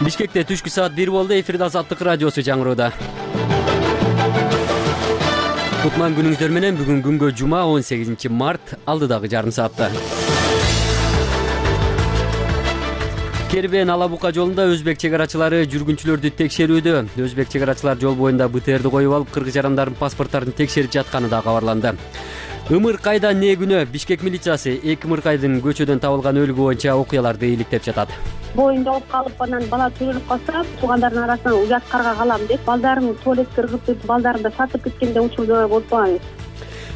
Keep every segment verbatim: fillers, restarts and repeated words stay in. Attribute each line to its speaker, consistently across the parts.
Speaker 1: Бишкекте түшкү саат бир болду. Эфирде Азаттык радиосу жаңыроодо. Кутман күнүңүздөр менен. Бүгүн күнгө жума он сегизинчи март, алдыдагы жарым саатта. Кербен Ала Бука жолунда өзбек чек арачылары жүргүнчүлөрдү текшерүүдө. Өзбек чек арачылар жол боюнда БТРди коюп алып, кыргыз жарандардын паспорттарын текшерип жатканы да кабарланды. Ымыркайда не күнөө Бишкек милициясы эки ымыркайдын көчөдөн табылган өлүгү боюнча окуяларды иликтеп жатат.
Speaker 2: Боюнда оп калып, анан бала төрөлүп калса, туугандардын арасынан уят карга калам деп, балдарын туалетке ыргытып, балдарын да сатып кеткенде учурда болбойбуз.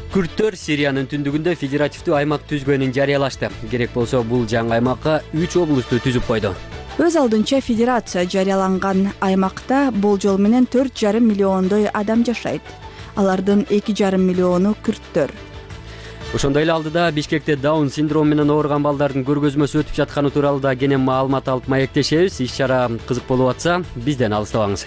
Speaker 1: Күрттөр Сириянын түндүгүндө федеративдүү аймак түзгөнүн жарыялашты. Керек болсо бул жаңы аймакка үч облусту түзүп койду.
Speaker 3: Өз алдынча федерация жарыяланган аймакта болжол менен төрт жарым миллиондой адам жашайт. Алардын эки жарым миллиону күрттөр.
Speaker 1: Ошондой эле алдыда Бишкекте даун синдрому менен ооруган балдардын көргөзмөсү өтүп жатканы тууралуу да кенен маалымат алып маектешебиз. Иш-чара кызык болуп атса, бизден алыстабаңыз.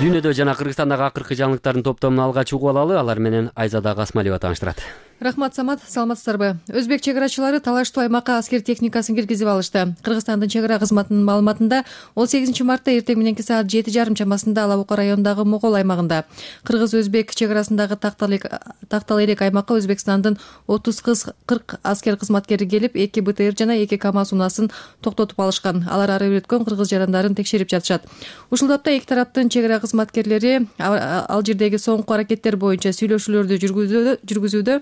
Speaker 1: Дүйнөдө жана Кыргызстандагы акыркы жаңылыктардын топтомун алгач угуп алалы. Алар менен Айзада Касмалиева тааныштырат.
Speaker 4: Рахмат, Самат, саламатсыздарбы? Өзбек чек арачылары талаштуу аймакка аскер техникасын киргизип алышты. Кыргызстандын чек ара кызматынын маалыматында он сегизинчи мартта эртең мененки саат жети жарым чамасында Ала Бука районундагы Могол аймагында кыргыз-өзбек чек арасындагы тактал элек аймакка Өзбекстандын отуз кырк аскер кызматкери келип, эки БТР жана эки КАМАЗ унаасын токтотуп алышкан. Алар ары өткөн кыргыз жарандарын текшерип жатышат. Ушул тапта эки тараптын чек ара кызматкерлери ал жердеги соңку аракеттер боюнча сүйлөшүүлөрдү жүргүзүүдө.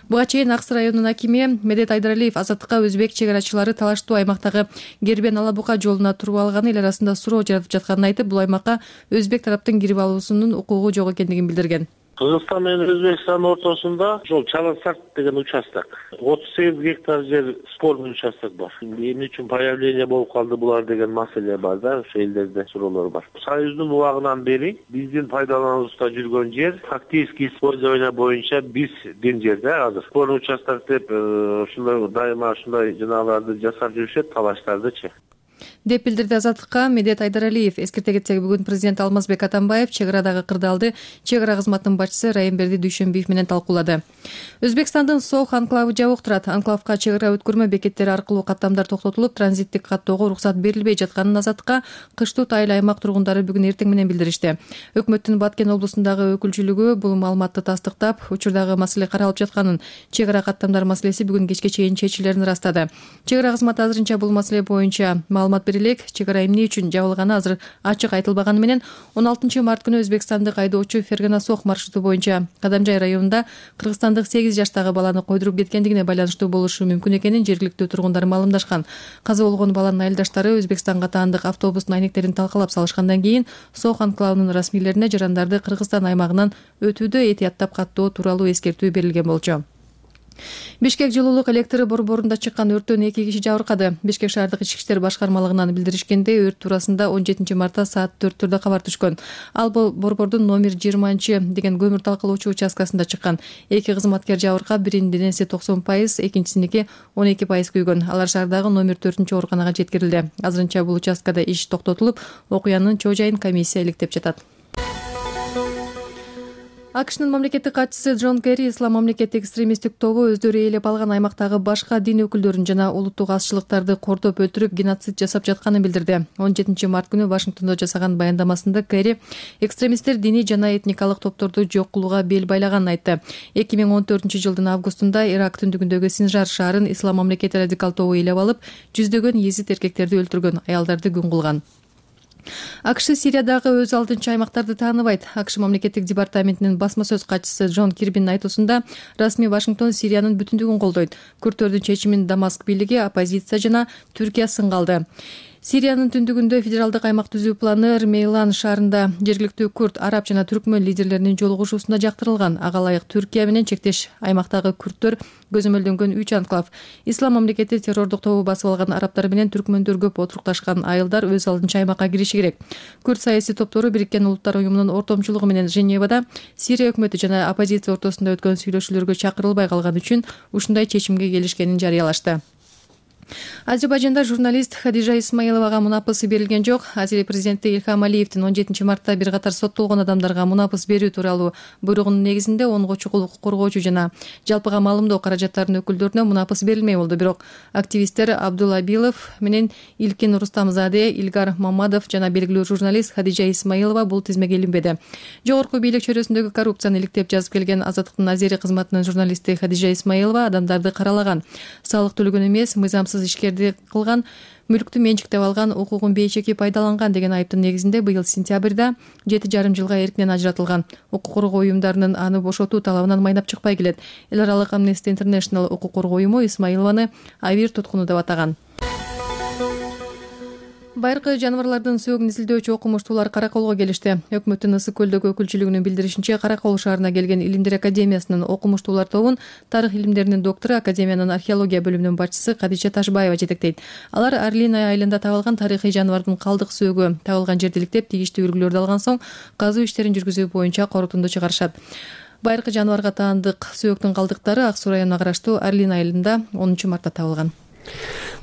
Speaker 4: Буга чейин Аксы районунун акими Медет Айдаралиев Азаттыкка өзбек чек арачылары талаштуу аймактагы Кербен Ала Бука жолуна туруп алганы эл арасында суроо жаратып жатканын айтып, бул аймакка өзбек тараптын кирип алуусунун укугу жок экендигин билдирген.
Speaker 5: Кыргызстан менен Өзбекстан ортосунда жол Чаласарт деген участок. отуз сегиз гектар жер спорный участок бар. Эмне үчүн появление болуп калды булар деген маселе бар да, ошо элдерде суроолор бар. Союздун убагынан бери биздин пайдалануубузда жүргөн жер фактически использование боюнча биздин жер да азыр. Спорный участок деп ушундай дайыма ушундай жанагыларды жасап жүрүшөт, талаштардычы.
Speaker 4: Деп билдирди Азаттыкка Медет Айдаралиев. Эскерте кетсек, бүгүн президент Алмазбек Атамбаев чек арадагы кырдаалды чек ара кызматынын башчысы Райымберди Дүйшөнбиев менен талкуулады. Өзбекстандын Сох анклавы жабык турат. Анклавга чек ара өткөрмө бекеттери аркылуу каттамдар токтотулуп, транзиттик каттоого уруксат берилбей жатканын Азаттыкка кыштуу тайыл аймак тургундары бүгүн эртең менен билдиришти. Өкмөттүн Баткен облусундагы өкүлчүлүгү бул маалыматты тастыктап, учурдагы маселе каралып жатканын, чек ара каттамдар маселеси бүгүн кечке чейин чечилерин ырастады. Чек ара кызматы азырынча бул маселе боюнча маалымат берилет. Чек ара эмне үчүн жабылганы азыр ачык айтылбаганы менен он алтынчы март күнү Өзбекстандык айдоочу Фергана Сох маршруту боюнча Кадамжай районунда кыргызстандык сегиз жаштагы баланы койдуруп кеткендигине байланыштуу болушу мүмкүн экенин жергиликтүү тургундар маалымдашкан. Каза болгон баланын айылдаштары Өзбекстанга таандык автобустун айнектерин талкалап салышкандан кийин Сох анклавынын расмийлерине жарандарды Кыргызстан аймагынан өтүүдө этияттап каттоо тууралуу эскертүү берилген болчу. Бишкек жылуулук электри борборунда чыккан өрттөн эки киши жабыркады. Бишкек шаардык ички иштер башкармалыгынан билдиришкендей, өрт туурасында он жетинчи мартта саат төрттөрдө кабар түшкөн. Ал борбордун номер жыйырманчы деген көмүр талкалоочу участкасында чыккан. Эки кызматкер жабыркап, биринин денеси токсон пайыз, экинчисиники он эки пайыз күйгөн. Алар шаардагы номер төртүнчү ооруканага жеткирилди. Азырынча бул участкада иш токтотулуп, окуянын чоо жайын комиссия иликтеп жатат. АКШнын мамлекеттик катчысы Джон Керри ислам мамлекеттик экстремисттик тобу өздөрү ээлеп алган аймактагы башка дин өкүлдөрүн жана улуттук азчылыктарды кордоп өлтүрүп геноцид жасап жатканын билдирди. он жетинчи март күнү Вашингтондо жасаган баяндамасында Керри экстремисттер диний жана этникалык топторду жок кылууга бел байлаганын айтты. эки миң он төртүнчү жылдын августунда Ирак түндүгүндөгү Синжар шаарын ислам мамлекети радикал тобу ээлеп алып, жүздөгөн езид эркектерди өлтүргөн, аялдарды күн кылган. АКШ Сириядагы өз алдынча аймактарды тааныбайт. АКШ мамлекеттик департаментинин басма сөз катчысы Джон Кирбинин айтуусунда, расмий Вашингтон Сириянын бүтүндүгүн колдойт. Күрттөрдүн чечимин Дамаск бийлиги, оппозиция жана Түркия сынга алды. Сириянын түндүгүндө федералдык аймак түзүү планы Мейлан шаарында жергиликтүү күрт, араб жана түркмөн лидерлеринин жолугушуусунда жактырылган. Ага ылайык Түркия менен чектеш аймактагы күрттөр көзөмөлдөнгөн үч анклав. Ислам мамлекети террордук тобу басып алган арабтар менен түркмөндөр көп отурукташкан айылдар өз алдынча аймакка кириши керек. Күрт саясий топтору Бириккен Улуттар уюмунун ортомчулугу менен Женевада Сирия өкмөтү жана оппозиция ортосунда өткөн сүйлөшүүлөргө чакырылбай калган үчүн ушундай чечимге келишкенин жарыялашты. Азербайжанда журналист Хадижа Исмаиловага мунапыс берилген жок. Азия президенти Илхам Алиевдин он жетинчи мартта бир катар соттолгон адамдарга мунапыс берүү тууралуу буйругунун негизинде онго чукул укук коргоочу жана жалпыга маалымдоо каражаттарынын өкүлдөрүнө мунапыс берилмей болду. Бирок активисттер Абдулла Абилов менен Илкин Рустамзаде, Илгар Мамадов жана белгилүү журналист Хадижа Исмаилова бул тизмеге илинбеди. Жогорку бийлик чөйрөсүндөгү коррупцияны иликтеп жазып келген Азаттыктын азери кызматынын журналисти Хадижа Исмаилова адамдарды каралаган, салык төлөгөн эмес, мыйзамсыз ишкерди кылган, мүлктү менчиктеп алган, укугун бейчеки пайдаланган деген айыптын негизинде быйыл сентябрда жети жарым жылга эркинен ажыратылган. Укук коргоо уюмдарынын аны бошотуу талабынан майнап чыкпай келет. Эл аралык Amnesty International укук коргоо уюму Исмаилованы авир туткуну деп атаган. Байыркы жаныбарлардын сөөгүн изилдөөчү окумуштуулар Караколго келишти. Өкмөттүн Ысык көлдөгү өкүлчүлүгүнүн билдиришинче, Каракол шаарына келген Илимдер академиясынын окумуштуулар тобун тарых илимдеринин доктору, академиянын археология бөлүмүнүн башчысы Кадича Ташбаева жетектейт. Алар Орлиная айылында табылган тарыхый жаныбардын калдык сөөгү табылган жерди иликтеп, тийиштүү үлгүлөрдү алган соң казуу иштерин жүргүзүү боюнча корутунду чыгарышат. Байыркы жаныбарга таандык сөөктүн калдыктары Ак Суу районуна караштуу Орлиная айылында онунчу мартта табылган.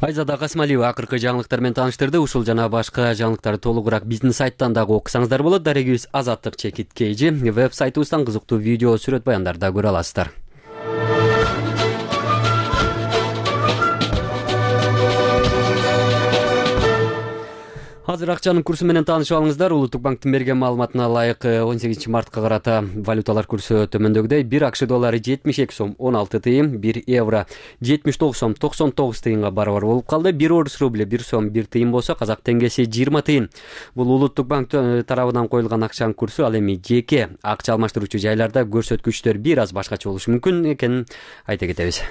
Speaker 1: Айзада Касымалиева акыркы жаңылыктар менен тааныштырды. Ушул жана башка жаңылыктарды толугураак биздин сайттан дагы окусаңыздар болот. Дарегибиз Азаттык чекит кейжи веб-сайтыбыздан кызыктуу видео, сүрөт баяндарды көрө аласыздар. Азыр акчанын курсу менен таанышып алыңыздар. Улуттук банктын берген маалыматына ылайык он сегизинчи мартка карата валюталар курсу төмөндөгүдөй: бир акш доллары жетимиш эки сом он алты тыйын, бир евро жетимиш тогуз сом токсон тогуз тыйынга барабар болуп калды. бир орус рубли бир сом бир тыйын болсо, казак теңгеси жыйырма тыйын. Бул Улуттук банк тарабынан коюлган акчанын курсу. Ал эми жеке акча алмаштыруучу жайларда көрсөткүчтөр бир аз башкача болушу мүмкүн экенин айта кетебиз.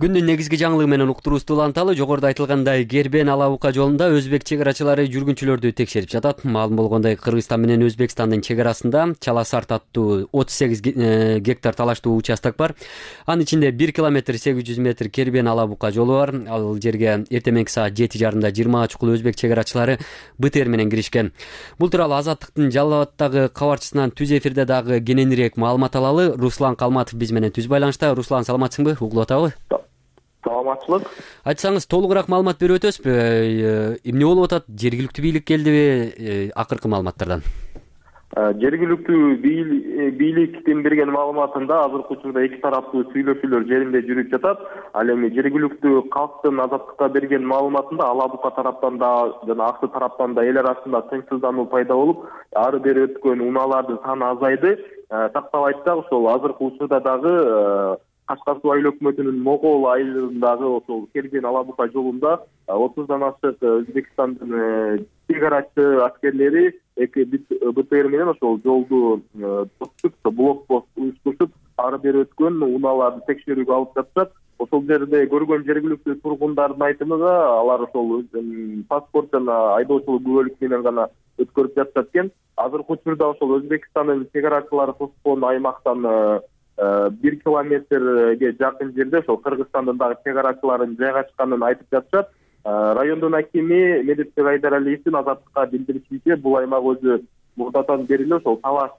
Speaker 1: Күндүн негизги жаңылыгы менен уктуруубузду уланталы. Жогоруда айтылгандай, Кербен Алабука жолунда өзбек чек арачылары жүргүнчүлөрдү текшерип жатат. Маалым болгондой, Кыргызстан менен Өзбекстандын чек арасында Чаласарт аттуу отуз сегиз гектар талаштуу участок бар. Анын ичинде бир километр сегиз жүз метр Кербен Алабука жолу бар. Ал жерге эртең мененки саат жети жарымда жыйырма чукул өзбек чек арачылары БТР менен киришкен. Бул тууралуу Азаттыктын Жалал Абаддагы кабарчысынан түз эфирде дагы кененирээк маалымат алалы. Руслан Калматов биз менен түз байланышта. Руслан, саламатсыңбы? Угулуп атабы?
Speaker 5: Саламатчылык.
Speaker 1: Айтсаңыз, толугураак маалымат берип өтөсүзбү? Эмне болуп атат? Жергиликтүү бийлик келдиби? Акыркы маалыматтардан.
Speaker 5: Жергиликтүү бийликтин берген маалыматында азыркы учурда эки тараптуу сүйлөшүүлөр жеринде жүрүп жатат. Ал эми жергиликтүү калктын Азаттыкка берген маалыматында Алабука тараптан да жана Аксы тараптан да эл арасында тынчсыздануу пайда болуп, ары бери өткөн унаалардын саны азайды. Тактап айтсак, ошол азыркы учурда дагы Кашкар суу айыл өкмөтүнүн Могол айылындагы ошол Кербен Алабука жолунда отуздан ашык Өзбекстандын чек арачы аскерлери эки БТР менен ошол жолду тосуп, блокпост уюштурушуп, ары бери өткөн унааларды текшерүүгө алып жатышат. Ошол жерде көргөн жергиликтүү тургундардын айтымында алар ошол паспорт жана айдоочулук күбөлүк менен гана өткөрүп жатышат экен. Азыркы учурда ошол Өзбекстандын чек арачылары тоскон аймактан бир километрге жакын жерде ошол Кыргызстандын дагы чек арачыларын жайгашканын айтып жатышат. Райондун акими Медет Айдаралиевдин Азаттыкка билдиришинче, бул аймак өзү мурдатан бери эле ошол талаш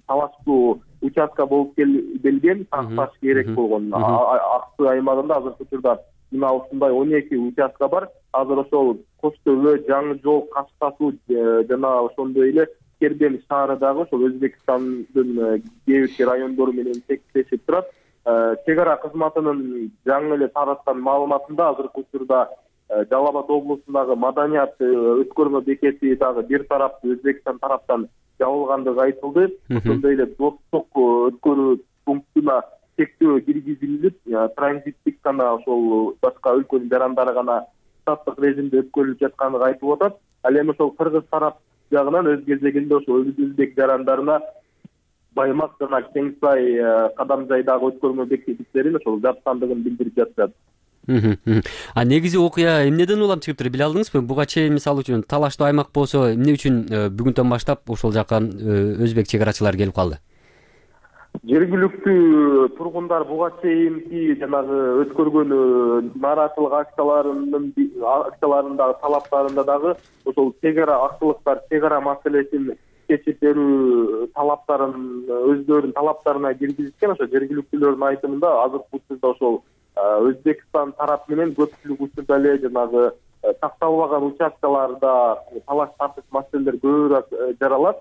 Speaker 5: талаштуу участка болуп келген, такташ керек болгон. Аксы аймагында азыркы учурда мына ушундай он эки участка бар. Азыр ошол Кош Төбө, Жаңы жол, Кашка суу жана ошондой эле Кербен шаары дагы ошол Өзбекстандын кээ бир райондору менен текшешип турат. Чек ара кызматынын жаңы эле тараткан маалыматында азыркы учурда Жалал Абад облусундагы маданият өткөрмө бекети дагы бир тараптуу Өзбекстан тараптан жабылгандыгы айтылды. Ошондой эле достук өткөрүү пунктуна чектөө киргизилип, транзиттик гана ошол башка өлкөнүн жарандары гана штаттык режимде өткөрүлүп жаткандыгы айтылып атат. Ал эми ошол кыргыз тарап жагынан өз кезегинде ошол өзбек жарандарына Баймак жана Кеңсай Кадамжайдагы өткөрмө бекеттерин ошол жапкандыгын билдирип жатышат.
Speaker 1: А негизи окуя эмнеден улам чыгыптыр, биле алдыңызбы? Буга чейин мисалы үчүн талаштуу аймак болсо, эмне үчүн бүгүнтөн баштап ошол жака өзбек чек арачылары келип калды?
Speaker 5: Жергиликтүү тургундар буга чейинки жанагы өткөргөн нааразычылык акцияларынын акцияларындагы талаптарында дагы ошол чек ара акчылыктар чек ара маселесин
Speaker 6: кесип берүү талаптарын өздөрүнүн талаптарына киргизишкен. Ошо жергиликтүүлөрдүн айтымында азыркы учурда ошол Өзбекстан тарап менен көпчүлүк учурда эле жанагы такталбаган участкаларда талаш тартыш маселелер көбүрөөк жаралат.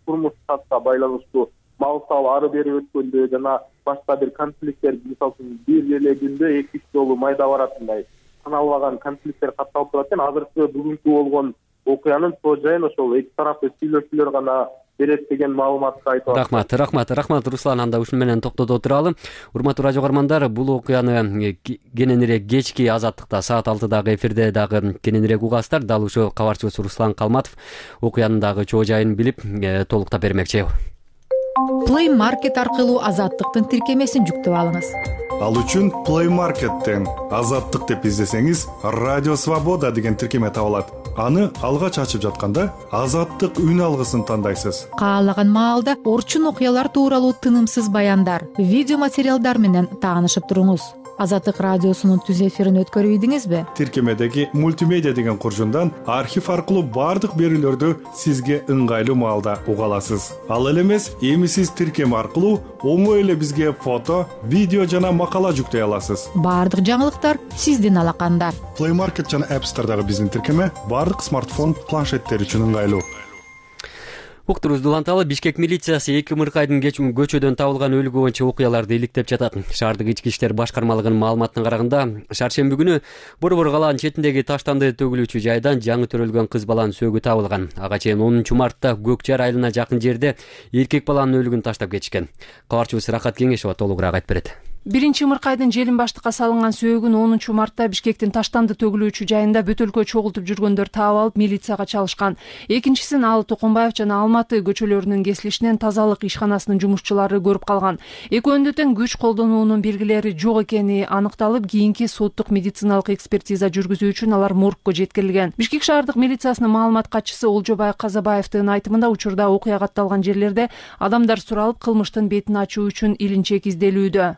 Speaker 6: Турмуш шартка байланыштуу мал сал ары бери өткөндө жана башка бир конфликттер, мисалы үчүн бир эле күндө эки үч жолу майда баратындай саналбаган конфликттер катталып турат экен. Азыркы бүгүнкү болгон окуянын чоо жайын ошол эки тараптуу сүйлөшүүлөр гана берет деген маалыматты айтып атат.
Speaker 1: Рахмат, рахмат, рахмат Руслан. Анда ушуну менен токтото туралы. Урматтуу радио көрөрмандар, бул окуяны кененирээк кечки Азаттыкта саат алтыдагы эфирде дагы кененирээк угасыздар. Дал ушул кабарчыбыз Руслан Калматов окуянын дагы чоо жайын билип толуктап бермекчи.
Speaker 7: Play Market аркылуу Азаттыктын тиркемесин жүктөп алыңыз.
Speaker 8: Ал үчүн Play Market'тен Азаттык деп издесеңиз, Радио Свобода деген тиркеме табылат. Аны алгач ачып жатканда Азаттык үн алгысын тандайсыз.
Speaker 7: Каалаган маалда орчун окуялар тууралуу тынымсыз баяндар, видео материалдар менен таанышып туруңуз. Азаттык радиосунун түз эфирин өткөрүп ийдиңизби?
Speaker 8: Тиркемедеги мультимедиа деген куржундан архив аркылуу бардык берүүлөрдү сизге ыңгайлуу маалда уга аласыз. Ал эле эмес, эми сиз тиркеме аркылуу оңой эле бизге фото, видео жана макала жүктөй аласыз.
Speaker 7: Бардык жаңылыктар сиздин алаканда.
Speaker 8: Play Market жана App Store'дагы биздин тиркеме бардык смартфон, планшеттер үчүн ыңгайлуу.
Speaker 1: Уктурубузду уланталы. Бишкек милициясы эки ымыркайдын көчөдөн табылган өлүгү боюнча окуяларды иликтеп жатат. Шаардык ички иштер башкармалыгынын маалыматына караганда, шаршемби күнү Борбор калаанын четиндеги таштанды төгүлүүчү жайдан жаңы төрөлгөн кыз баланын сөөгү табылган. Ага чейин онунчу мартта Көк Жар айылына жакын жерде эркек баланын өлүгүн таштап кетишкен. Кабарчыбыз Рахат Кеңешова толугураак айтып берет.
Speaker 9: Биринчи ымыркайдын желин баштыкка салынган сөөгүн онунчу мартта Бишкектин таштанды төгүлүүчү жайында бөтөлкө чогултуп жүргөндөр таап алып милицияга чалышкан. Экинчисин Алы Токонбаев жана Алматы көчөлөрүнүн кесилишинен тазалык ишканасынын жумушчулары көрүп калган. Экөөнүндө тең күч колдонуунун белгилери жок экени аныкталып, кийинки соттук медициналык экспертиза жүргүзүү үчүн алар моргко жеткирилген. Бишкек шаардык милициясынын маалымат катчысы Олжобай Казабаевдин айтымында, учурда окуя катталган жерлерде адамдар суралып, кылмыштын бетин ачуу үчүн илинчек изделүүдө.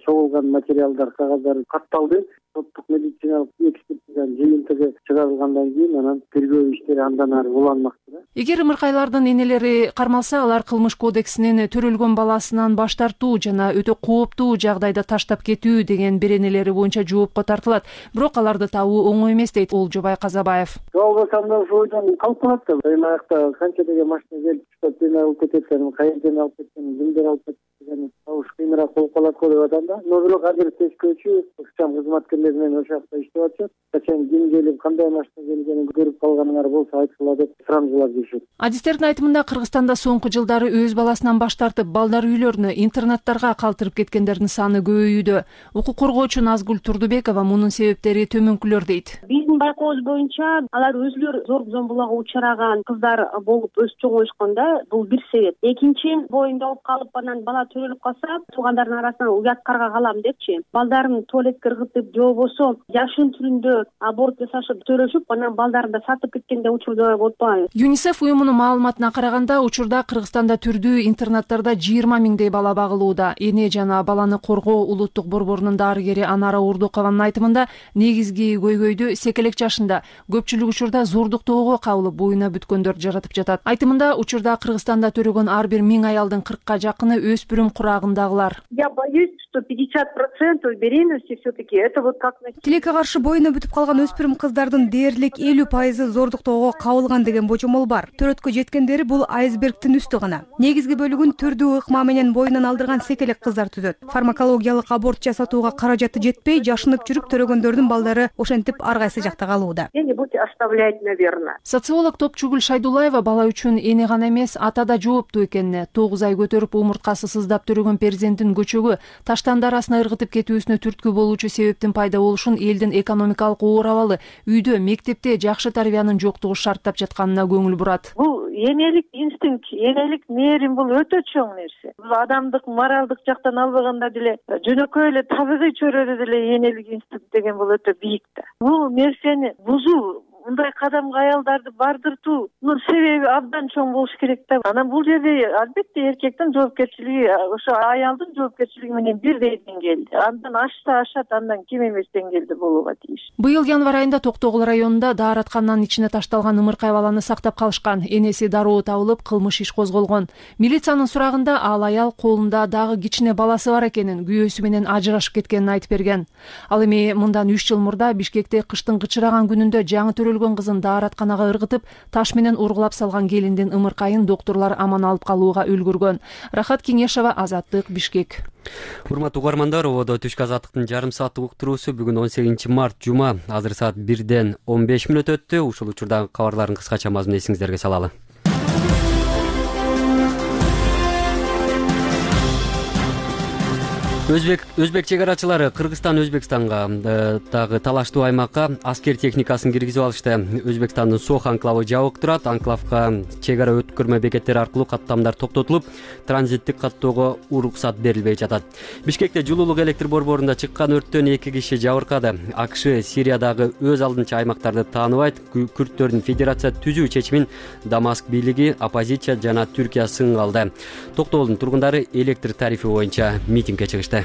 Speaker 10: Чогулган материалдар, кагаздар катталды. Соттук медициналык экспертизанын жыйынтыгы чыгарылгандан кийин анан тергөө иштери андан ары уланмакчы.
Speaker 9: Эгер ымыркайлардын энелери кармалса, алар кылмыш кодексинин төрөлгөн баласынан баш тартуу жана өтө кооптуу жагдайда таштап кетүү деген беренелери боюнча жоопко тартылат. Бирок аларды табуу оңой эмес, дейт Олжобай Казабаев.
Speaker 10: Жолбосам да ошондон калып калат да. Аймакта канча деген машина келип чыгып, сени алып кетет, кайерден алып кеткен, кимдер алып кеткен, табыш кыйыныраак болуп калат го деп атам. Но бирок азыр тескөөчү ыкчам кызматкерлер менен ошол жакта иштеп атышат. Качан ким келип, кандай машина келгенин көрүп калганыңар болсо айтсыла деп сурамжылап жүрүшөт.
Speaker 9: Адистердин айтымында, Кыргызстанда соңку жылдары өз баласынан баш тартып, балдар үйлөрүнө, интернаттарга калтырып кеткендердин саны көбөйүүдө. Укук коргоочу Назгүл Турдубекова мунун себептери төмөнкүлөр дейт.
Speaker 2: Биздин байкообуз боюнча алар өзүлөрү зорлук-зомбулукка учураган кыздар болуп өсүп чоңоюшканда, бул бир себеп. Экинчи, боюнда болуп калып, анан бала төрөлүп калса, туугандардын арасынан уят карга калам депчи. Балдарын туалетке ыргытып, же болбосо жашын түрүндө аборт жасашып төрөшүп, анан балдарын да сатып кеткенде учурлар болуп атпайбы?
Speaker 9: ЮНИСЕФ уюмунун маалыматына караганда, учурда Кыргызстанда түрдүү интернаттарда жыйырма миңдей бала багылууда. Эне жана баланы коргоо улуттук борборунун дарыгери Анара Урдукованын айтымында, негизги көйгөйдү секелек жашында, көпчүлүк учурда зордуктоого кабылып, буюна бүткөндөр жаратып жатат. Айтымында, учурда Кыргызстанда төрөгөн ар бир миң аялдын кыркка жакыны өспүрүм курагындагылар.
Speaker 11: Я боюсь, что пятьдесят процентов беременности все-таки это вот как на...
Speaker 12: Тилекке каршы боюна бүтүп калган өспүрүм кыздардын дээрлик элүү пайызы зордуктоого кабылган деген божомол бар. Төрөткө жеткендери бул айсбергтин үстү гана. Негизги бөлүгүн түрдүү ыкма менен боюнан алдырган секелек кыздар түзөт. Фармакологиялык аборт жасатууга каражаты жетпей, жашынып жүрүп төрөгөндөрдүн балдары ошентип ар кайсы жакта калууда.
Speaker 11: Где-нибудь оставлять, наверное.
Speaker 9: Социолог Топчугүл Шайдулаева бала үчүн эне гана эмес, ата да жооптуу экенине, тогуз ай көтөрүп умурткасы сыздап төрөгөн перзентин көчөгү, таштанды арасына ыргытып кетүүсүнө түрткү болуучу себептин пайда болушун элдин экономикалык оор абалы, үйдө, мектепте жакшы тарбиянын жоктугу шарттап жатканына көңүл бурат.
Speaker 11: Бул энелик инстинкт, энелик мээрим бул өтө чоң нерсе. Бул адамдык, моралдык жактан албаганда деле жөнөкөй эле табигый чөйрөдө деле энелик инстинкт деген бул өтө бийик да. Бул нерсени бузуу мындай кадамга аялдарды бардыртуунун себеби абдан чоң болуш керек да. Анан бул жерде албетте эркектин жоопкерчилиги ошо аялдын жоопкерчилиги менен бирдей деңгээлде. Андан ашса ашат, андан кем эмес деңгээлде болууга тийиш.
Speaker 9: Быйыл январь айында Токтогул районунда даараткананын ичине ташталган ымыркай баланы сактап калышкан. Энеси дароо табылып, кылмыш иш козголгон. Милициянын сурагында ал аял колунда дагы кичине баласы бар экенин, күйөөсү менен ажырашып кеткенин айтып берген. Ал эми мындан үч жыл мурда Бишкекте кыштын кычыраган күнүндө жаңы төрөлгөн кызын дааратканага ыргытып, таш менен ургулап салган келиндин ымыркайын доктурлар аман алып калууга үлгүргөн. Рахат Кеңешова, Азаттык, Бишкек.
Speaker 1: Урматтуу угармандар, ободо түшкү азаттыктын жарым сааттык уктуруусу бүгүн он сегизинчи март жума, азыр саат бирден он беш мүнөт өттү. Ушул учурдагы кабарлардын кыскача мазмунун эсиңиздерге салалы. Өзбек өзбек чек арачылары Кыргызстан Өзбекстанга дагы талаштуу аймакка аскер техникасын киргизип алышты. Өзбекстандын Сох анклавы жабык турат. Анклавга чек ара өткөрмө бекеттери аркылуу каттамдар токтотулуп, транзиттик каттоого уруксат берилбей жатат. Бишкекте жылуулук электр борборунда чыккан өрттөн эки киши жабыркады. АКШ Сириядагы өз алдынча аймактарды тааныбайт. Күрттөрдүн федерация түзүү чечимин Дамаск бийлиги, оппозиция жана Түркия сынга алды. Токтогулдун тургундары электр тарифи боюнча митингге чыгышты.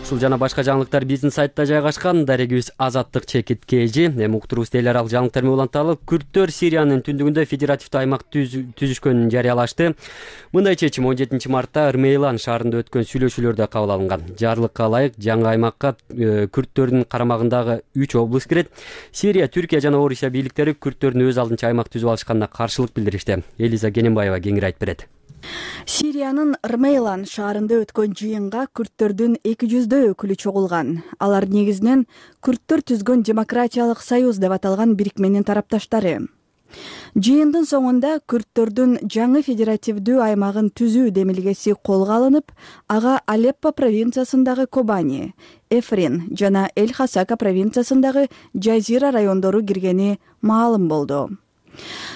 Speaker 1: Ушул жана башка жаңылыктар биздин сайтта жайгашкан. Дарегибиз Азаттык чекит кежи. Эми уктурубуз эл аралык жаңылыктар менен уланталы. Күрттөр Сириянын түндүгүндө федеративдүү аймак түзүшкөнүн жарыялашты. Мындай чечим он жетинчи мартта Рмейлан шаарында өткөн сүйлөшүүлөрдө кабыл алынган. Жарлыкка ылайык жаңы аймакка күрттөрдүн карамагындагы үч облус кирет. Сирия, Түркия жана Орусия бийликтери күрттөрдүн өз алдынча аймак түзүп алышканына каршылык билдиришти. Элиза Гененбаева кеңири айтып берет.
Speaker 3: Сириянын Рмейлан шаарында өткөн жыйынга күрттөрдүн эки жүздөй өкүлү чогулган. Алар негизинен күрттөр түзгөн демократиялык союз деп аталган бирикменин тарапташтары. Жыйындын соңунда күрттөрдүн жаңы федеративдүү аймагын түзүү демилгеси колго алынып, ага Алеппо провинциясындагы Кобани, Эфрин жана Эль-Хасака провинциясындагы Жазира райондору киргени маалым болду.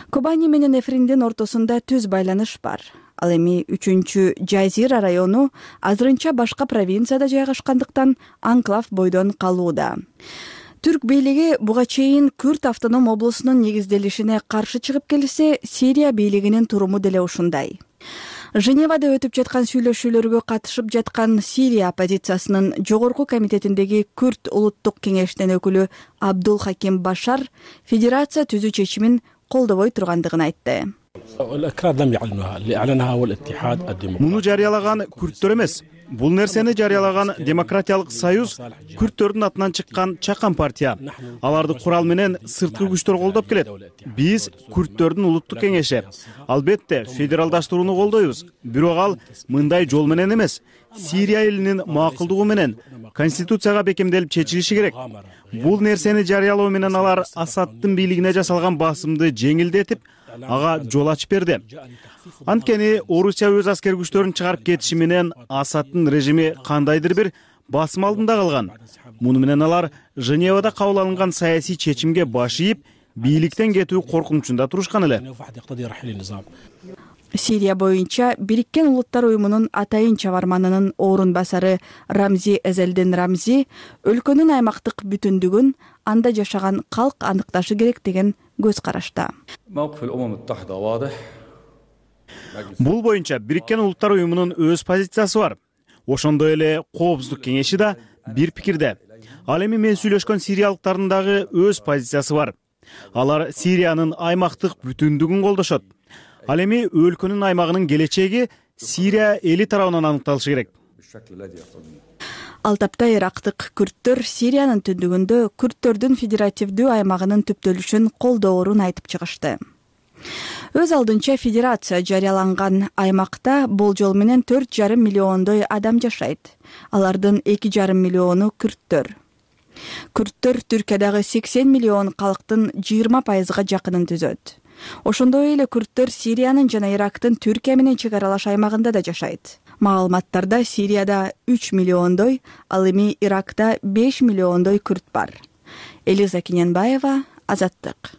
Speaker 3: Кобани менен Эфриндин ортосунда түз байланыш бар. Ал эми үчүнчү Жазира району азырынча башка провинцияда жайгашкандыктан анклав бойдон калууда. Түрк бийлиги буга чейин Күрт автоном облусунун негизделишине каршы чыгып келсе, Сирия бийлигинин туруму деле ушундай. Женевада өтүп жаткан сүйлөшүүлөргө катышып жаткан Сирия оппозициясынын жогорку комитетиндеги Күрт улуттук кеңешинин өкүлү Абдул Хаким Башар федерация түзүү чечимин колдобой тургандыгын айтты.
Speaker 13: Муну жарыялаган күрттөр эмес. Бул нерсени жарыялаган Демократиялык союз күрттөрдүн атынан чыккан чакан партия. Аларды курал менен сырткы күчтөр колдоп келет. Биз күрттөрдүн улуттук кеңеши. Албетте, федералдаштырууну колдойбуз. Бирок ал мындай жол менен эмес. Сирия элинин макулдугу менен конституцияга бекемделип чечилиши керек. Бул нерсени жарыялоо менен алар Асаддын бийлигине жасалган басымды жеңилдетип, ага жол ачып берди. Анткени Орусия өз аскер күчтөрүн чыгарып кетиши менен Асаддын режими кандайдыр бир басым алдында калган. Муну менен алар Женевада кабыл алынган саясий чечимге баш ийип, бийликтен кетүү коркунучунда турушкан эле.
Speaker 3: Сирия боюнча Бириккен Улуттар уюмунун атайын чабарманынын орун басары Рамзи Эзелдин Рамзи өлкөнүн аймактык бүтүндүгүн анда жашаган калк аныкташы керек деген көз карашта.
Speaker 13: Бул боюнча Бириккен Улуттар уюмунун өз позициясы бар. Ошондой эле Коопсуздук кеңеши да бир пикирде. Ал эми мен сүйлөшкөн сириялыктардын дагы өз позициясы бар. Алар Сириянын аймактык бүтүндүгүн колдошот. Ал эми өлкөнүн аймагынын келечеги Сирия эли тарабынан аныкталышы керек.
Speaker 3: Ал тапта ирактык күрттөр Сириянын түндүгүндө күрттөрдүн федеративдүү аймагынын түптөлүшүн колдоорун айтып чыгышты. Өз алдынча федерация жарыяланган аймакта болжол менен төрт жарым миллиондой адам жашайт. Алардын эки жарым миллиону күрттөр. Күрттөр Түркиядагы сексен миллион калктын жыйырма пайызга жакынын түзөт. Ошондой эле күрттөр Сириянын жана Ирактын Түркия менен чек аралаш аймагында да жашайт. Маалыматтарда Сирияда үч миллиондой, ал эми Иракта беш миллиондой күрт бар. Элиза Кененбаева, Азаттык.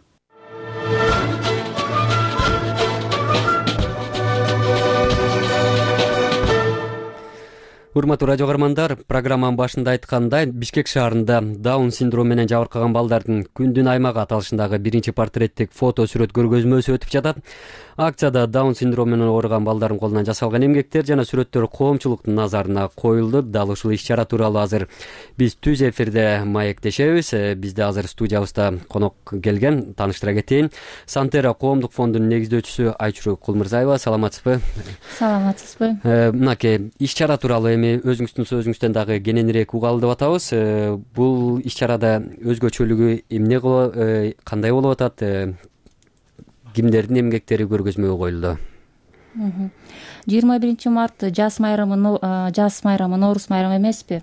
Speaker 1: Урматтуу радио каармандар, программанын башында айткандай, Бишкек шаарында Даун синдрому менен жабыркаган балдардын күндүн аймагы аталышындагы биринчи портреттик фото сүрөт көргөзмөсү өтүп жатат. Акцияда Даун синдрому менен ооруган балдардын колунан жасалган эмгектер жана сүрөттөр коомчулуктун назарына коюлду. Дал ушул иш-чара тууралуу азыр биз түз эфирде маектешебиз. Бизде азыр студиябызда конок келген, тааныштыра кетейин. Сантера коомдук фондунун негиздөөчүсү Айчуру Кулмурзаева. Саламатсызбы?
Speaker 14: Саламатсызбы.
Speaker 1: Мынакей иш-чара тууралуу өзүңүздүн сөзүңүздөн дагы кененирээк угалы деп атабыз. Бул иш-чарада өзгөчөлүгү эмне кандай болуп атат? Кимдердин эмгектери көргөзмөгө коюлду?
Speaker 14: жыйырма биринчи март жаз майрамы, жаз майрамы, Ноорус майрамы эмеспи?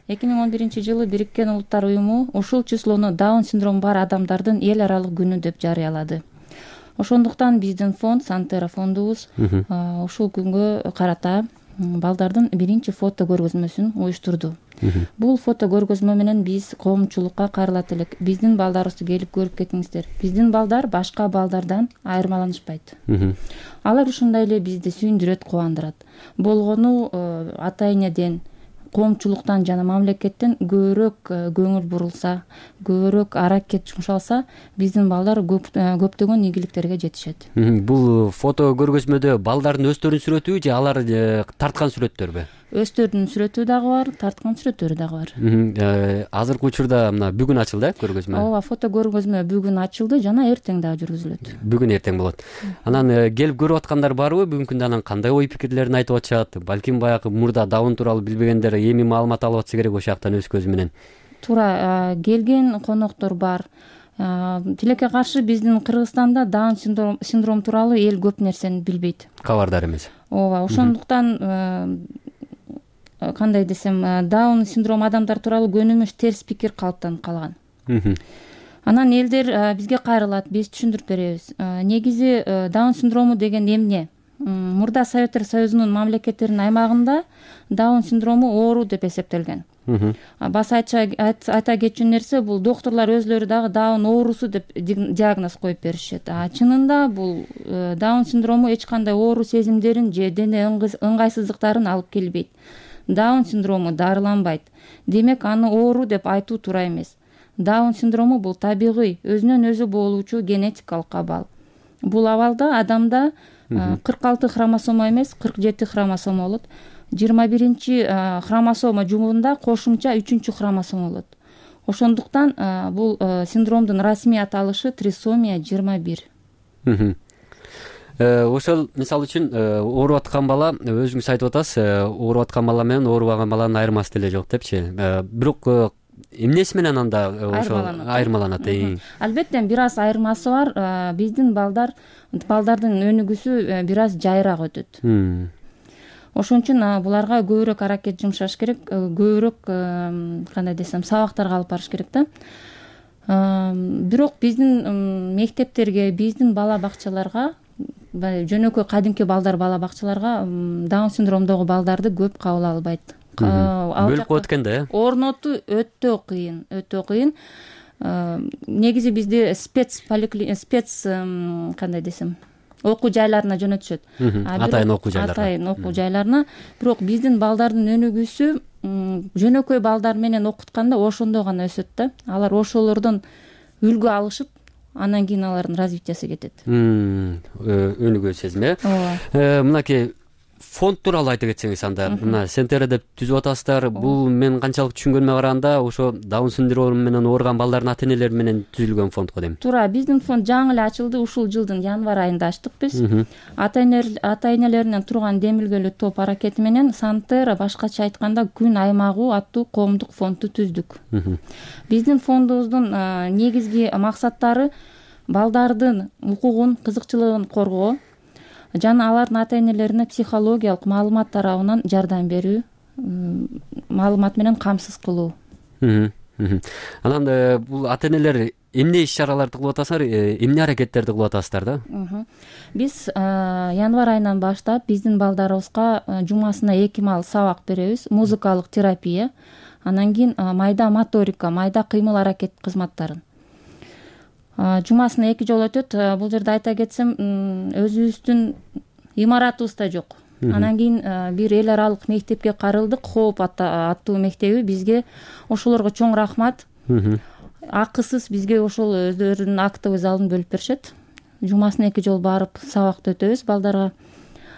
Speaker 14: эки миң он биринчи жылы Бириккен Улуттар уюму ушул числону Даун синдрому бар адамдардын эл аралык күнү деп жарыялады. Ошондуктан биздин фонд, Сантера фондубуз ушул күнгө карата балдардын биринчи фото көргөзмөсүн уюштурду. Бул фото көргөзмө менен биз коомчулукка кайрылат элек. Биздин балдарыбызды келип көрүп кетиңиздер. Биздин балдар башка балдардан айырмаланышпайт. Алар ушундай эле бизди сүйүндүрөт, кубандырат. Болгону ата энеден, коомчулуктан жана мамлекеттен көбүрөөк көңүл бурулса, көбүрөөк аракет жумшалса, биздин балдар көптөгөн ийгиликтерге жетишет.
Speaker 1: Бул фото көргөзмөдө балдардын өздөрүнүн сүрөтүбү же алар тарткан сүрөттөрбү?
Speaker 14: Өздөрүнүн сүрөтү дагы бар, тарткан сүрөттөрү дагы бар.
Speaker 1: Азыркы учурда мына бүгүн ачылды э көргөзмө?
Speaker 14: Ооба, фото көргөзмө бүгүн ачылды жана эртең дагы жүргүзүлөт.
Speaker 1: Бүгүн эртең болот. Анан келип көрүп аткандар барбы? Бүгүнкү күндө анан кандай ой пикирлерин айтып атышат? Балким баягы мурда Даун тууралуу билбегендер эми маалымат алып атса керек ошол жактан өз көзү менен.
Speaker 14: Туура, келген коноктор бар. Тилекке каршы биздин Кыргызстанда Даун синдрому тууралуу эл көп нерсени билбейт.
Speaker 1: Кабардар эмес.
Speaker 14: Ооба, ошондуктан кандай десем, Даун синдрому адамдар тууралуу көнүмүш терс пикир калыптанып калган. Анан элдер бизге кайрылат, биз түшүндүрүп беребиз. Негизи Даун синдрому деген эмне? Мурда Советтер Союзунун мамлекеттеринин аймагында Даун синдрому оору деп эсептелген. Баса айта кетчү нерсе, бул доктурлар өзлөрү дагы Даун оорусу деп диагноз коюп беришет. А чынында бул Даун синдрому эч кандай оору сезимдерин же дене ыңгайсыздыктарын алып келбейт. Даун синдрому дарыланбайт. Демек, аны оору деп айтуу туура эмес. Даун синдрому бул табигый, өзүнөн өзү болуучу генетикалык абал. Бул абалда адамда кырк алты хромосома эмес, кырк жети хромосома болот. жыйырма биринчи хромосома жумунда кошумча үчүнчү хромосома болот. Ошондуктан бул синдромдун расмий аталышы трисомия жыйырма бир.
Speaker 1: Ошол мисалы үчүн ооруп аткан бала, өзүңүз айтып атасыз, ооруп аткан бала менен оорубаган баланын айырмасы деле жок депчи. Бирок эмнеси менен анда ошол айырмаланат?
Speaker 14: Албетте бир аз айырмасы бар. Биздин балдар балдардын өнүгүүсү бир аз жайыраак өтөт. Ошон үчүн буларга көбүрөөк аракет жумшаш керек, көбүрөөк кандай десем, сабактарга алып барыш керек да. Бирок биздин мектептерге, биздин бала бакчаларга, жөнөкөй кадимки балдар бала бакчаларга Даун синдромдогу балдарды көп кабыл албайт.
Speaker 1: Бөлүп коет экен да, э?
Speaker 14: Орнотуу өтө кыйын, өтө кыйын. Негизи бизде спец спец кандай десем, окуу жайларына жөнөтүшөт.
Speaker 1: Атайын окуу жайларына.
Speaker 14: Атайын окуу жайларына. Бирок биздин балдардын өнүгүүсү жөнөкөй балдар менен окутканда ошондо гана өсөт да. Алар ошолордон үлгү алышып, анан кийин алардын развитиясы кетет.
Speaker 1: Өнүгүү сезими. Ооба. Мынакей фонд тууралуу айта кетсеңиз анда. Мына Сантера деп түзүп атасыздар. Бул мен канчалык түшүнгөнүмө караганда, ошо Даун синдрому менен ооруган балдардын ата энелери менен түзүлгөн фонд го дейм.
Speaker 14: Туура, биздин фонд жаңы эле ачылды, ушул жылдын январь айында ачтык биз. Ата энелеринен турган демилгелүү топ аракети менен Сантера, башкача айтканда, күн аймагы аттуу коомдук фондду түздүк. Биздин фондубуздун негизги максаттары балдардын укугун, кызыкчылыгын коргоо жана алардын ата энелерине психологиялык маалымат тарабынан жардам берүү, маалымат менен камсыз кылуу.
Speaker 1: Анан бул ата энелер эмне иш-чараларды кылып атасыздар, эмне аракеттерди кылып атасыздар да?
Speaker 14: Биз январь айынан баштап биздин балдарыбызга жумасына эки маал сабак беребиз, музыкалык терапия, анан кийин майда моторика, майда кыймыл аракет кызматтарын. Жумасына эки жолу өтөт. Бул жерде айта кетсем, өзүбүздүн имаратыбызда жок. анан кийин бир эл аралык мектепке карылдык, Хоп аттуу мектеби. Бизге ошолорго чоң рахмат. Акысыз бизге ошол өздөрүнүн актовый залын бөлүп беришет. Жумасына эки жолу барып сабакты өтөбүз балдарга.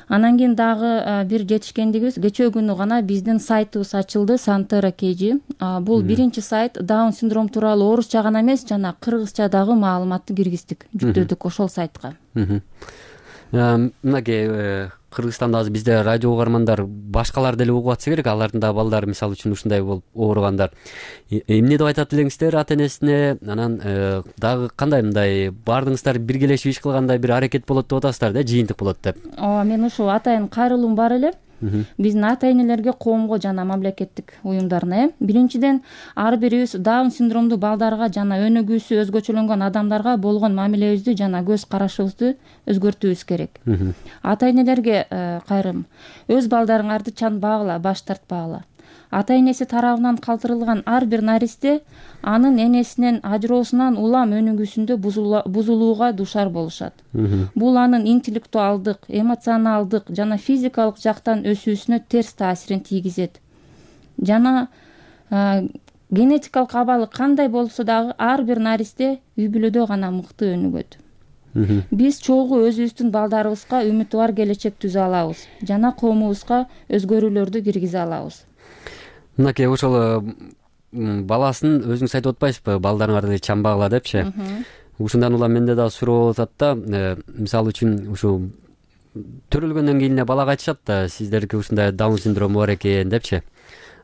Speaker 14: Анан кийин дагы бир жетишкендигибиз, кечээ күнү гана биздин сайтыбыз ачылды, Сантера Кежи. Бул биринчи сайт Даун синдрому тууралуу орусча гана эмес, жана кыргызча дагы маалыматты киргиздик, жүктөдүк ошол сайтка.
Speaker 1: Мынакей Кыргызстанда азыр бизде радио угармандар башкалар деле угуп атса керек, алардын да балдары мисалы үчүн ушундай болуп ооругандар. Эмне деп айтат элеңиздер ата энесине? Анан дагы кандай мындай баардыгыңыздар биргелешип иш кылгандай бир аракет болот деп атасыздар да, жыйынтык болот деп.
Speaker 14: Ооба, мен ушул атайын кайрылуум бар эле. Биздин ата энелерге, коомго жана мамлекеттик уюмдарына. Биринчиден, ар бирибиз Даун синдромдуу балдарга жана өнүгүүсү өзгөчөлөнгөн адамдарга болгон мамилебизди жана көз карашыбызды өзгөртүүбүз керек. Ата энелерге кайрым, өз балдарыңарды чан багыла, баш тартпагыла. Ата энеси тарабынан калтырылган ар бир наристе анын энесинен ажыроосунан улам өнүгүүсүндө бузулууга душар болушат. Бул анын интеллектуалдык, эмоционалдык жана физикалык жактан өсүүсүнө терс таасирин тийгизет. Жана генетикалык абалы кандай болсо дагы ар бир наристе үй бүлөдө гана мыкты өнүгөт. Биз чогуу өзүбүздүн балдарыбызга үмүтү бар келечек түзө алабыз жана коомубузга өзгөрүүлөрдү киргизе алабыз.
Speaker 1: Мынакей ошол баласын өзүңүз айтып атпайсызбы, балдарыңарды чамбагыла депчи. Ушундан улам менде дагы суроо болуп атат да, мисалы үчүн ушу төрөлгөндөн кийин эле балага айтышат да, сиздерге ушундай Даун синдрому бар экен депчи.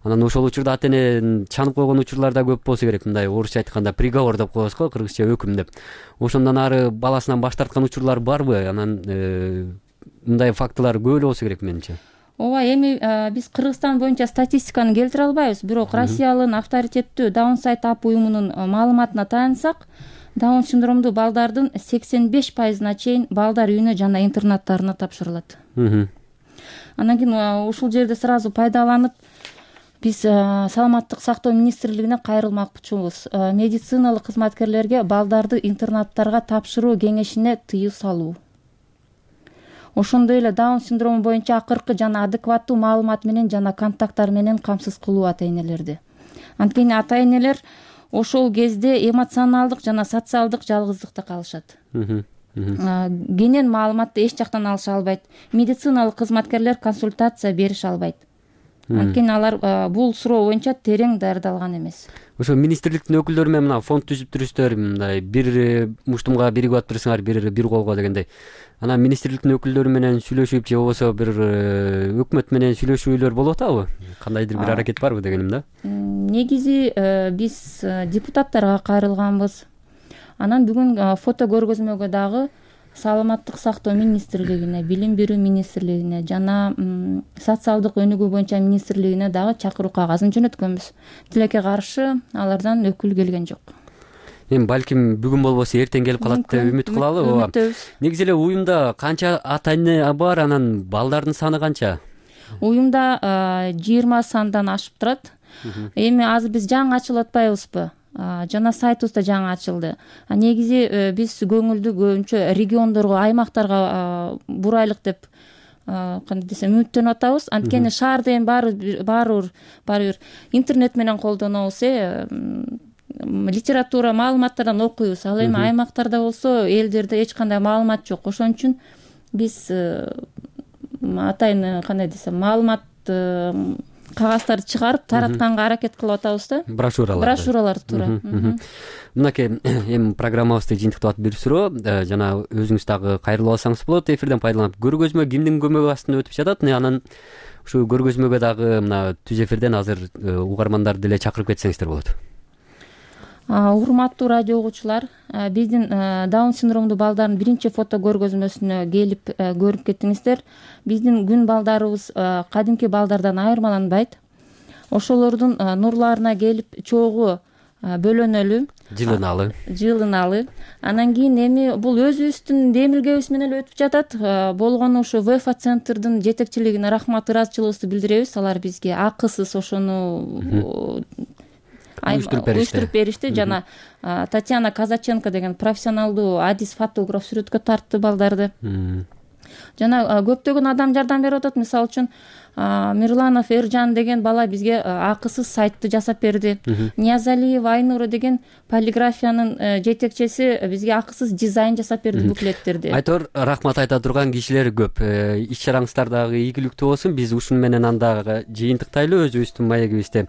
Speaker 1: Анан ошол учурда ата эне чанып койгон учурлар да көп болсо керек, мындай орусча айтканда приговор деп коебуз го, кыргызча өкүм деп. Ошондон ары баласынан баш тарткан учурлар барбы? Анан мындай фактылар көп эле болсо керек менимче.
Speaker 14: Ооба, эми биз Кыргызстан боюнча статистиканы келтире албайбыз, бирок Россиянын авторитеттүү Даун сайт ап уюмунун маалыматына таянсак, Даун синдромдуу балдардын сексен беш пайызына чейин балдар үйүнө жана интернаттарына тапшырылат. Анан кийин ушул жерде сразу пайдаланып биз саламаттык сактоо министрлигине кайрылмакчыбыз. Медициналык кызматкерлерге балдарды интернаттарга тапшыруу кеңешине тыюу салуу. Ошондой эле Даун синдрому боюнча акыркы жана адекваттуу маалымат менен жана контакттар менен камсыз кылуу ата энелерди. Анткени ата энелер ошол кезде эмоционалдык жана социалдык жалгыздыкта калышат. Кенен маалыматты эч жактан алыша албайт. Медициналык кызматкерлер консультация берише албайт. Анткени алар бул суроо боюнча терең даярдалган эмес.
Speaker 1: Ошо министрликтин өкүлдөрү менен мына фонд түзүп турушсуздар, мындай бир муштумга биригип алып турсаңар, бир бир колго дегендей. Анан министрликтин өкүлдөрү менен сүйлөшүп же болбосо бир өкмөт менен сүйлөшүүлөр болуп атабы? Кандайдыр бир аракет барбы дегеним да?
Speaker 14: Негизи биз депутаттарга кайрылганбыз. Анан бүгүн фото көргөзмөгө дагы саламаттык сактоо министрлигине, билим берүү министрлигине жана социалдык өнүгүү боюнча министрлигине дагы чакыруу кагазын жөнөткөнбүз. Тилекке каршы алардан өкүл келген жок.
Speaker 1: Эми балким бүгүн болбосо эртең келип калат деп үмүт кылалы.
Speaker 14: Үмүттөбүз.
Speaker 1: Негизи эле уюмда канча ата эне бар, анан балдардын саны канча?
Speaker 14: Уюмда жыйырма сандан ашып турат. Эми азыр биз жаңы ачылып атпайбызбы? Жана сайтыбызда жаңы ачылды. Негизи биз көңүлдү көбүнчө региондорго, аймактарга бурайлык деп кандай десем үмүттөнүп атабыз. Анткени шаарда эми баары баары баары интернет менен колдонобуз, э литература, маалыматтардан окуйбуз. Ал эми аймактарда болсо элдерде эч кандай маалымат жок. Ошон үчүн биз атайын кандай десем маалымат кагаздарды чыгарып таратканга аракет кылып атабыз да.
Speaker 1: Брошюраларды.
Speaker 14: Брошюраларды туура.
Speaker 1: Мынакей эми программабызды жыйынтыктап бир суроо, жана өзүңүз дагы кайрылып алсаңыз болот. Эфирден пайдаланып, көргөзмө кимдин көмөгү астында өтүп жатат? Анан ушу көргөзмөгө дагы мына түз эфирден азыр угармандарды деле чакырып кетсеңиздер болот.
Speaker 14: Урматтуу радио угуучулар, биздин Даун синдромдуу балдардын биринчи фото көргөзмөсүнө келип көрүп кеттиңиздер. Биздин күн балдарыбыз кадимки балдардан айырмаланбайт. Ошолордун нурларына келип чогуу бөлөнөлү,
Speaker 1: жылыналы.
Speaker 14: Жылыналы. Анан кийин эми бул өзүбүздүн демилгебиз менен эле өтүп жатат. Болгону ушу ВЭФА центрдин жетекчилигине рахмат, ыраазычылыгыбызды билдиребиз. Алар бизге акысыз ошону уюштуруп беришти жана Татьяна Казаченко деген профессионалдуу адис фотограф сүрөткө тартты балдарды. жана көптөгөн адам жардам берип атат. Мисалы үчүн Мирланов Эржан деген бала бизге акысыз сайтты жасап берди. Ниязалиева Айнура деген полиграфиянын жетекчиси бизге акысыз дизайн жасап берди буклеттерди.
Speaker 1: Айтор, рахмат айта турган кишилер көп. Иш чараңыздар дагы ийгиликтүү болсун. Биз ушуну менен андагы жыйынтыктайлы өзүбүздүн маегибизде.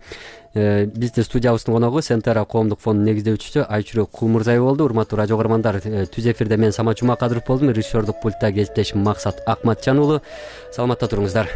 Speaker 1: Бизде студиябыздын коногу Сентера коомдук фондунун негиздөөчүсү Айчүрөк Кулмурзаева болду. Урматтуу радио каармандар, түз эфирде мен Самат Жумакадыров болдум. Режиссердук пультта кесиптешим Максат Акматжан уулу. Саламатта туруңуздар.